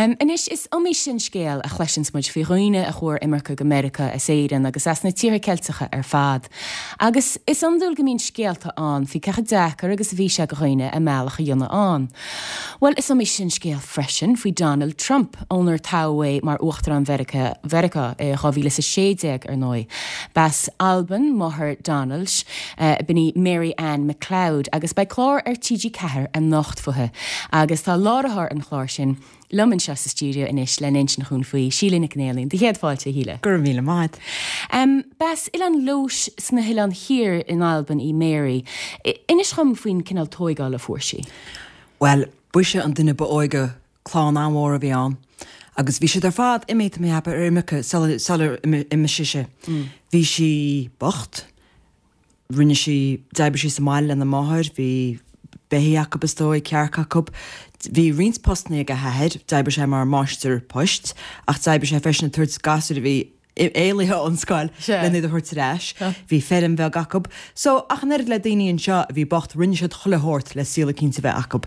Anois, is iomaí sin scéal a chloiseanns muid faoi dhaoine a chuaigh ar imirce go Meiriceá as Éirinn agus as na tíortha Ceilteacha ar fad. Agus is iondúil go mbíonn scéalta ann faoi cé chomh deacair agus a bhí sé go dhaoine a mbealach a dhéanamh ann. Bhuel, is iomaí sin scéal freisin faoi Donald Trump, ónar toghadh é mar Uachtarán Mheiriceá i 2016, ar ndóigh. B'as Albain máthair Donald, b'in í Mary Ann MacLeod, agus beidh clár ar TG4 anocht fúithi. Agus tá láithreoir an chláir sin liom anseo sa stiúideo anois lena insint dhúinn faoi, Síle Nic an Éalaín. Do chéad fáilte, a Shíle. Go raibh míle maith. B'as Oileán Leodhais sna hOileáin Thiar in Albain í Mary. Inis dhom faoin cineál tóigeála a fuair sí. Bhuel, b'ise an duine ba óige, clann an-mhór a bhí ann, agus bhí siad ar fad imithe, tá mé a cheapadh, ar imirce sular imigh sise. Bhí sí bocht. Rinne sí, d'oibrigh sí sa mbaile lena máthair, bhí beithígh acu is dóigh, cearca acu. Bhí roinnt postannaí ag a hathair, d'oibrigh sé mar máistir poist ach d'oibrigh sé freisin ag tabhairt gasúir a bhí éalaithe ón scoil lena iad a thabhairt ar ais. Bhí feirm bheag acu. So, ach an oiread le daoine anseo a bhí bocht, rinne siad chuile shórt le saol eicínt a bheith acu.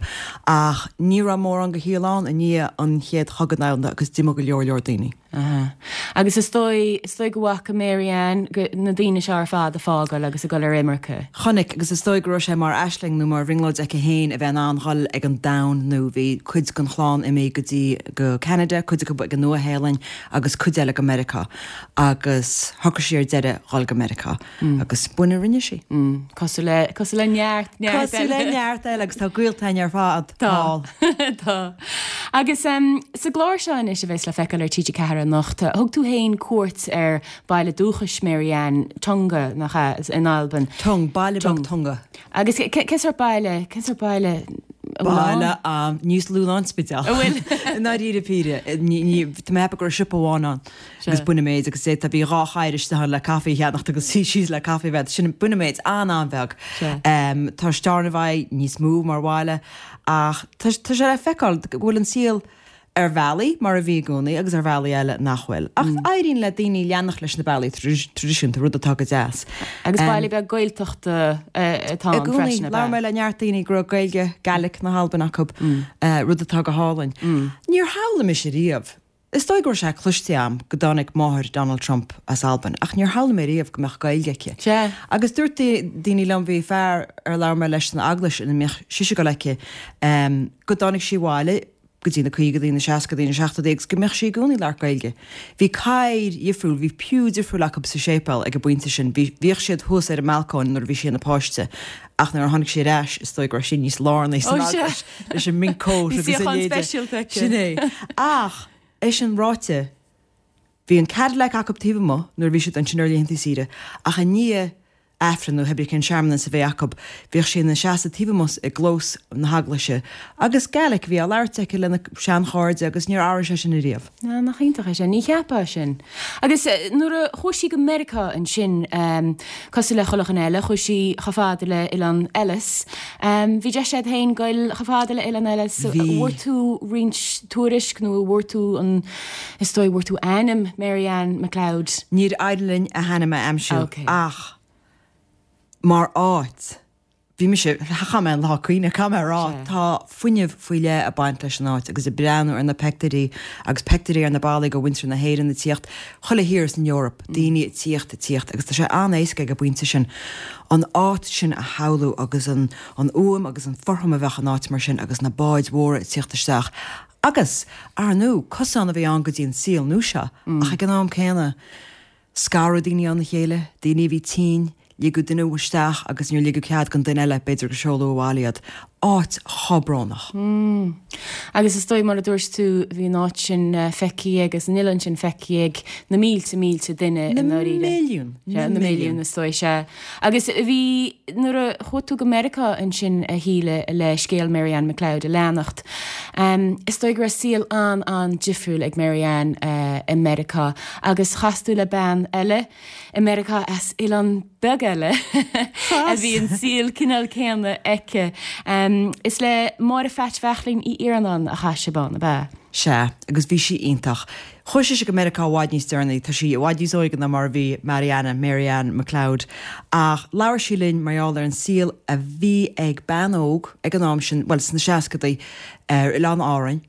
Ach ní raibh mórán de shaol ann i ndiaidh an Chéad Chogadh Domhanda agus d'imigh go leor leor daoine. Aha. Agus is dóigh, is dóigh go bhfaca Mary Ann go, na daoine seo ar fad ag fágáil agus ag dul ar imirce. Chonaic, agus is dóigh go raibh sé mar aisling nó mar bhrionglóid aici féin a bheith in ann dhul ag an domhan nó bhí cuid den chlann imithe go dtí, go Ceanada, cuid acu ag an Nua-Shéalainn agus cuid eile go Meiriceá. Agus shocraigh sí ar deireadh dhul go Meiriceá. Agus b'in a rinne sí. Cosúil le, cosúil le neart, neart eile. Cosúil le neart eile agus tá gaolta againn ar fad thall. Tá. Agus sa gclár seo anois a bheas le feiceáil ar TG4 anocht, thug tú féin cuairt ar baile dúchais Mary Ann, Tongue, nach ea, in Albain. Tongue, baile beag Tongue. Agus cén sórt baile, cén sórt baile a bhfuil ann? Baile ann, níos lú ná an Spidéal. An bhfuil? I ndáiríre píre, ní, ní, tá mé ag ceapadh go raibh siopa amháin ann agus b'in an méid agus d'fhéadfá, bhí dhá charr istigh ann le caife a cheannacht agus suí síos le caife a bheith, sin, b'in an méid, an-an-bheag. Tá Steòrnabhagh níos mó mar bhaile Ach tá sé le feiceáil go bhfuil an saol ar bhealaí mar a bhí i gcónaí agus ar bhealaí eile nach bhfuil. Ach éiríonn le daoine leanacht leis na bealaí traidisiúnta, rud atá go deas. Agus baile beag Gaeltachta atá ann freisin, ab ea? Labhair mé le neart daoine go raibh Gaeilge, Gaelic na hAlban acu, rud atá go hálainn. Níor shamhlaigh mise riamh Is dóigh go raibh sé cloiste a'm go dtáinig máthair Donald Trump as Albain ach níor shamhlaigh mé riamh go mbeadh Gaeilge aici. Sea. Agus dúirt daoine liom, bhí fear ar labhair mé leis san eaglais ina mbíodh sise ag dul aici, go dtáinig sí abhaile go dtí na caogaidí, na seascadaí, na seachtóidí agus go mbeadh sí i gcónaí ag labhairt Gaeilge. Bhí cathaoir dhifriúil, bhí pew difriúil acu sa séipéal ag an bpointe sin, bhí, bhíodh siad thuas ar an mbalcóin nuair a bhí sí ina páiste ach nuair a tháinig sí ar ais is dóigh go raibh sí níos lárnaí san eaglais. leis an mink coat agus a leithéide. Sin é. Ach, é sin ráite, bhí an Cadillac acu taobh amuigh nuair a bhí siad ansin ar laethanta saoire, ach i ndiaidh Aifreann nó pé ar bith cén searmanas a bheadh acu, bhíodh sí ina seasamh taobh amuigh i gclós na heaglaise agus Gaelic a bhí á labhairt aici lena seanchairde agus níor athraigh sé sin ariamh. Á, nach iontach é sin. Ní cheapfá sin. Agus nuair a chuaigh sí go Meiriceá ansin, cosúil le chuile dhuine eile, chuaigh sí chomh fada le Oileán Ellis. Bhí deis agat féin goil chomh fada le Oileán Ellis. Bhí. Bhfuair tú roinnt tuairisc nó bhfuair tú an, is dóigh, bhfuair tú ainm Mary Ann MacLeod? Níor éirigh linn a hainm a aimsiú Ok. ach mar áit, bhí mise, chaith mé an lá ag caoineadh, caithfidh mé a rá, tá fuinneamh faoi leith ag baint leis an áit agus ag breathnú ar na peictiúirí agus peictiúirí ar na ballaí de mhuintir na hÉireann ag tíocht, chuile thír san Eoraip, daoine ag tíocht, ag tíocht agus tá sé an-éasca ag an bpointe sin an áit sin a shamhlú agus an an fhuaim agus an fothram a bheadh in áit mar sin agus na báid mhóra ag tíocht isteach agus, ar ndú, cosán a bhí ann go dtí an saol nua seo ach ag an am céanna scaradh daoine óna chéile, daoine a bhí tinn, ligeadh duine isteach agus níor ligeadh cead don duine eile, b'fhéidir gur seoladh abhaile iad. Áit chomh brónach. Agus is dóigh, mar a dúirt tú, bhí an áit sin feicthe agus an oileán sin feicthe ag na mílte, mílte duine i ndáiríre. Na milliúin. Sea, na milliúin, is dóigh, sea. Agus bhí, nuair a chuaigh tú go Meiriceá ansin, a Shíle, le scéal Mary Ann MacLeod a leanacht, is dóigh go raibh saol an-an-difriúil ag Mary Ann i Meiriceá agus chas tú le bean eile, i Meiriceá as oileán beag eile a bhí an saol cineál céanna aici. Is le Máire Pheait Bheachlín Uí Iarnáin a chas sibh ann, ab ea? Sea, agus bhí sí iontach. Chuaigh sise go Meiriceá i bhfad níos deireanaí, tá sí i bhfad níos óige ná mar a bhí Marianna, Mary Ann MacLeod, ach labhair sí linn mar gheall ar an saol a bhí ag bean óg ag an am sin, bhuel, sna seascadaí, ar Oileán Árainn.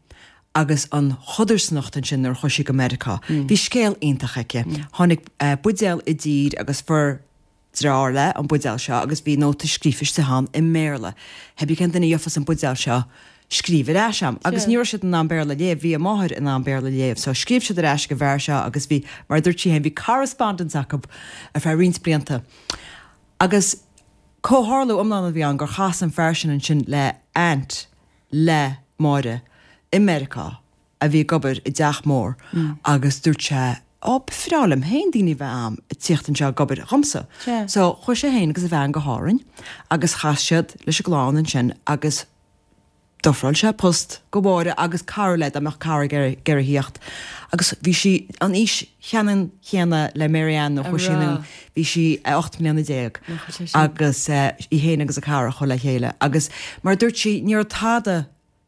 Agus an chodarsnacht ansin nuair a chuaigh sí go Meiriceá. Bhí scéal iontach aici. Tháinig buidéal i dtír agus fuair deartháir léi an buidéal seo agus bhí nóta scríofa istigh ann i mBéarla. Hé brí cén duine a gheofas an buidéal seo, scríobh ar ais a'm. Agus ní raibh siad in ann Béarla a léamh, bhí a máthair in ann Béarla a léamh. So scríobh siad ar ais ag an bhfear seo agus bhí, mar a dúirt sí féin, bhí correspondence acu ar feadh roinnt blianta. Agus comhtharlú iomlán a bhí ann gur chas an fear sin ansin le aunt le Máire i Meiriceá a bhí ag obair i dteach mór agus dúirt sé Ó, ba bhreá liom féin daoine a bheith a'm ag tíocht anseo ag obair dhomsa. So chuaigh sé féin agus a bhean go hÁrainn agus chas siad leis an gclann ansin agus d'ofráil sé post go Mháire agus cara léi dá mbeadh cara ag iarraidh a thíocht agus bhí sí an aois cheannann chéanna le Mary Ann nuair a chuaigh sí anonn, bhí sí 18 mbliana agus í féin agus a cara a chuaigh le chéile agus mar a dúirt sí ní raibh tada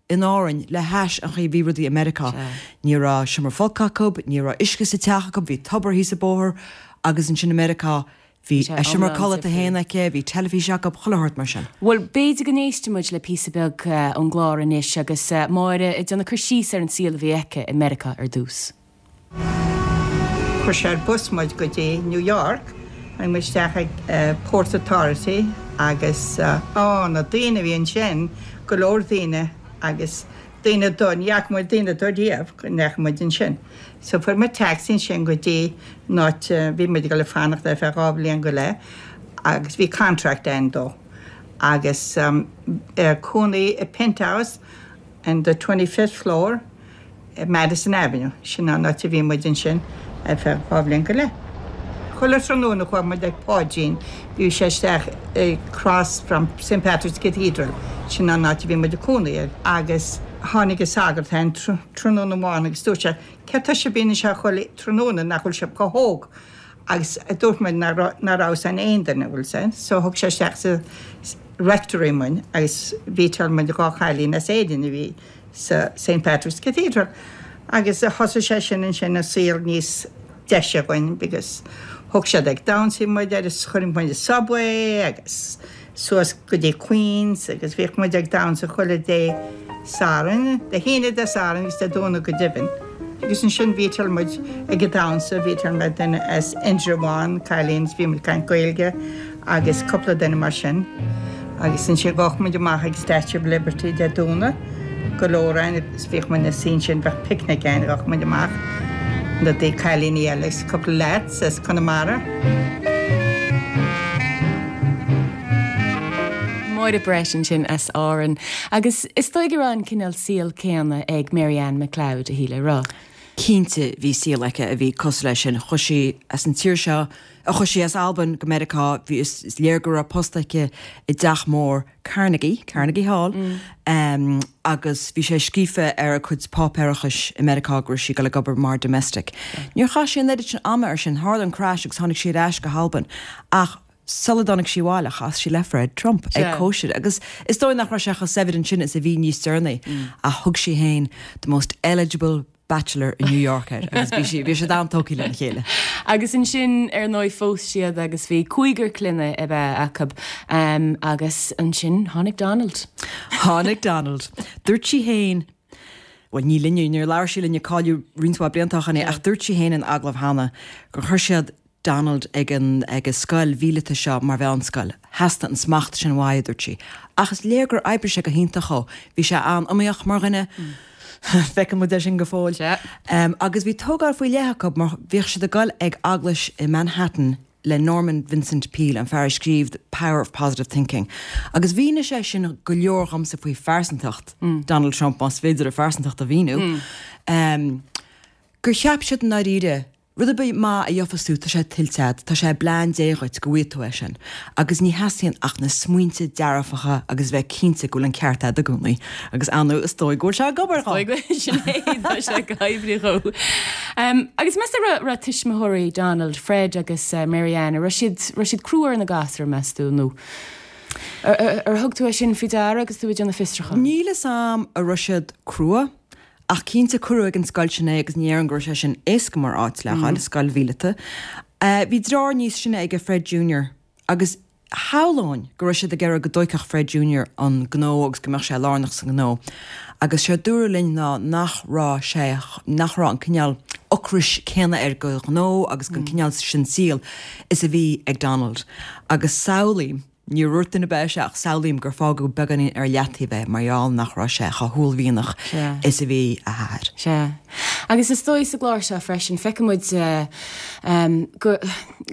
in Árainn le hais an chaoi a bhí rudaí i Meiriceá. Ní raibh seomra folctha acu, ní raibh uisce sa teach acu, bhí tobar thíos an bóthar agus ansin i Meiriceá bhí a seomra codlata féin aici, bhí teilifís acu, chuile shórt mar sin. Bhuel, b'fhéidir go n-éistfidh muid le píosa beag ón gclár anois agus Máire ag déanamh cur síos ar an saol a bhí aici i Meiriceá ar dtús. Chuir sé ar bus muid go dtí New York, tháinig muid isteach ag Port Authority agus á, na daoine a bhí ansin, go leor daoine agus daoine dubha, ní fhaca muid daoine dubha riamh go ndeachaigh muid ansin. So fuair muid taxi ansin go dtí an áit a bhí muid ag dul ag fanacht ar feadh 2 bhliain go leith agus bhí contract againn dó agus cónaí i penthouse in the 25th floor. Madison Avenue, sin an áit a bhí muid ansin ar feadh 2 bhliain go leith. Chuile tráthnóna chuaigh muid ag Páidín, bhí sé isteach across from St Patrick's Cathedral, sin an áit a bhí muid ag cónaí air, agus tháinig an sagart ann tráthnóna amháin agus dúirt sé, céard tá sibh bíonn anseo chuile tráthnóna nach bhfuil sibh chomh hóg? Agus dúirt muid nach raibh fhios ag aon duine, bhfuil 'fhios a'd, so thug sé isteach sa rectory muid agus mheetáil muid 2 chailín as Éirinn a bhí sa St Patrick's Cathedral agus thosaigh sé sin ansin an saol níos deise dhúinn because thug siad ag damhsa muid agus chuir muid an subway agus suas go dtí Queens agus bhíodh muid ag damhsa chuile Dé Sathairn, Dé hAoine Dé Sathairn agus Dé Domhnaigh go deimhin. Agus ansin mheetáil muid ag an damhsa, mheetáil mé duine as Indreabhán, cailín, is bhí muid ag caint Gaeilge agus cúpla duine mar sin. Agus ansin ghabhadh muid amach ag Statue of Liberty Dé Domhnaigh, go leor againn agus bhíodh muid ina suí ansin, bheadh picnic againn, ghabhadh muid amach na dtí cailíní eile agus cúpla lads as Conamara. Máire Brett ansin as Árainn. Agus is dóigh go raibh an cineál saoil céanna ag Mary Ann McLeod, a Shíle, raibh? Cinnte bhí saol aici a bhí cosúil leis sin. Chuaigh sí as an tír seo, chuaigh sí as Albain go Meiriceá, bhí, is léir go raibh post aici i dteach mór Carnegie, Carnegie Hall, agus bhí sé scríofa ar a cuid páipéarachais i Meiriceá go raibh sí ag dul ag obair mar domestic. Níor chaith sí an oiread sin ama ar sin, tharla an crash agus tháinig sí ar ais go hAlbain. Ach sula dtáinig sí abhaile chas sí le Fred Trump ag cóisir agus is dóigh nach raibh sé chomh saibhir ansin is a bhí níos deireanaí ach thug sí féin the most eligible bachelor in New York air agus bhí sí, bhí siad an-tógtha lena chéile. Agus ansin ar ndóigh phós siad agus bhí cúigear clainne ab ea acu agus ansin tháinig Donald. Tháinig Donald. Dúirt sí féin, bhuel ní linne, níor labhair sí linne cailleadh roinnt mhaith blianta ó shin é ach dúirt sí féin in agallamh cheana gur chuir siad Donald ag an ag an scoil mhíleata seo mar mheánscoil. Theastaigh an smacht sin uaidh, a dúirt sí. Ach is léir gur oibrigh sé go hiontach dhó. Bhí sé an-iomaíoch mar dhuine. Feiceann muid é sin go fóill. Agus bhí tógáil faoi leith acu mar bhíodh siad ag goil ag eaglais i Manhattan le Norman Vincent Peale, an fear a scríobh The Power of Positive Thinking. Agus mhínigh sé sin go leor dhomsa faoi phearsantacht Donald Trump, más féidir a phearsantacht a mhíniú. Gur cheap siad i ndáiríre Rud ar bith maith a gheofas tú, tá sé tuillte agat, tá sé i bplean Dé dhuit go bhfaighidh tú é sin. Agus ní theastaíonn ach na smaointe dearfacha agus bheith cinnte go bhfuil an ceart agat i gcónaí. Agus ar ndóigh, is dóigh go bhfuil sé ag obair dhó. Is dóigh go bhfuil, sin é, tá sé ag oibriú dhó. Agus meas tú raibh, raibh tuismitheoirí Donald, Fred agus Mary Ann, an raibh siad, raibh siad crua ar na gasúir, meas tú, nó ar thug tú é sin faoi deara agus tú ag déanamh fiosrúcháin? Níl fhios a'm an raibh siad crua. Ach cinnte, cuireadh ag an scoil sin é agus ní déarfainn go raibh sé sin éasca mar áit le dhul, scoil mhíleata. Bhí deartháir níos sine aige, Fred Junior, agus. Shamhlóinn go raibh siad ag iarraidh go dtóigfeadh Fred Junior an gnó agus go mbeadh sé lárnach sa ngnó agus séard dúradh linn ná nach raibh sé, nach raibh an cineál ocrais céanna air go ghnó agus gon cineál sin saoil is a bhí ag Donald. Agus samhlaím, níor dhúirt duine ar bith é ach samhlaím gur fágadh beagáinín ar leataobh é mar gheall nach raibh sé chomh huaillmhianach is a bhí a athair. Sea. Agus is dóigh sa gclár seo freisin, feicfidh muid go,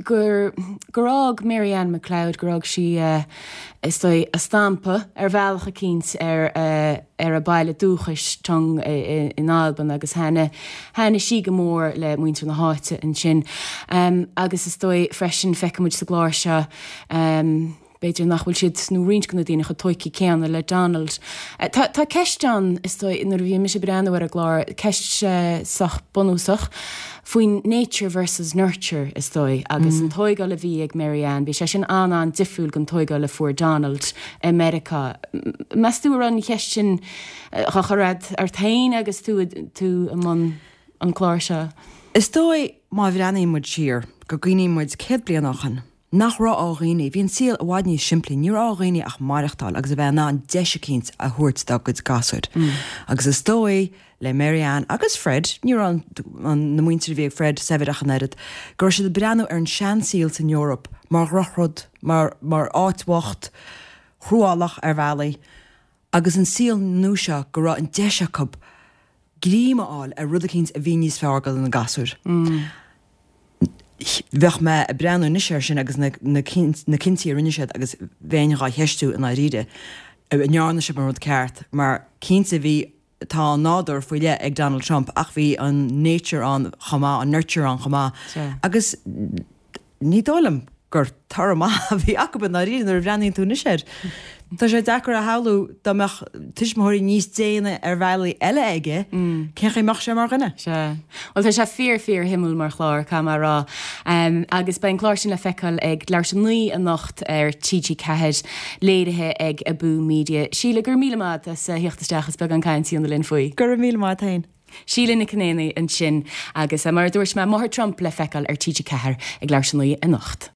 gur, gur fhág Mary Ann McLeod, gur fhág sí, is dóigh, a stampa ar bhealach eicínt ar, ar a baile dúchais, Tongue in Albain agus thaitnigh, thaitnigh sí go mór le muintir na háite ansin. Agus is dóigh freisin, feicfidh muid sa gclár seo, b'fhéidir nach bhfuil siad, nó roinnt de na daoine, chomh tóigthe céanna le Donald. Tá, tá ceist ann, is dóigh, nuair a bhí mise ag breathnú ar an gclár, ceist sách bunúsach faoin nature versus nurture, is dóigh, agus an tóigáil a bhí ag Mary Ann, bhí sé sin an-an-difriúil den tóigáil a fuair Donald i Meiriceá. Meas tú an raibh an cheist sin á chur ort féin agus tú, tú i mbun an chláir seo? Is dóigh, má bhreathnaíonn muid siar, go gcuimhníonn muid 100 bliain ó shin, Nach raibh ar dhaoine, bhí an saol i bhfad níos simplí, ní raibh ar dhaoine ach maireachtáil agus a bheith in ann deis eicínt a thabhairt dá gcuid gasúir. Agus is dóigh le Mary Ann agus Fred, ní raibh an, na muintir a bhí ag Fred saibhir ach an oiread, go raibh siad ag breathnú ar an seansaol san Eoraip mar dhrochrud, mar, mar áit bhocht, chruálach ar bhealaí, agus an saol nua seo go raibh an deis acu greim a fháil ar rud eicínt a bhí níos fearr do na gasúir. Bheadh mé ag breathnú anois air sin agus na cinntí a rinne siad agus bheinn dhá cheistiú i ndáiríre an ndearna siad an rud ceart mar cinnte bhí, tá an nádúr faoi leith ag Donald Trump ach bhí an nature ann chomh maith, an nurture ann chomh maith agus Ní dóigh liom gur toradh maith a bhí acu i ndáiríre nuair a bhreathnaíonn tú anois air. Tá sé deacair a shamhlú dá mbeadh tuismitheoirí níos déine ar bhealaí eile aige, cén chaoi a mbeadh sé mar dhuine? Sea. Bhuel, tá sé fíor, fíor shuimiúil mar chlár, caithfidh mé a rá. Agus beidh an clár sin le feiceáil ag leathuair tar éis 9 anocht ar TG4, léirithe ag Abú Media. Síle, go raibh míle maith agat as theacht isteach is beagán cainte a dhéanamh linn faoi. Go raibh míle maith agat féin. Síle Nic Con Éanaigh ansin agus mar a dúirt mé, Máthair Trump le feiceáil ar TG4 ag leathuair tar éis 9 anocht.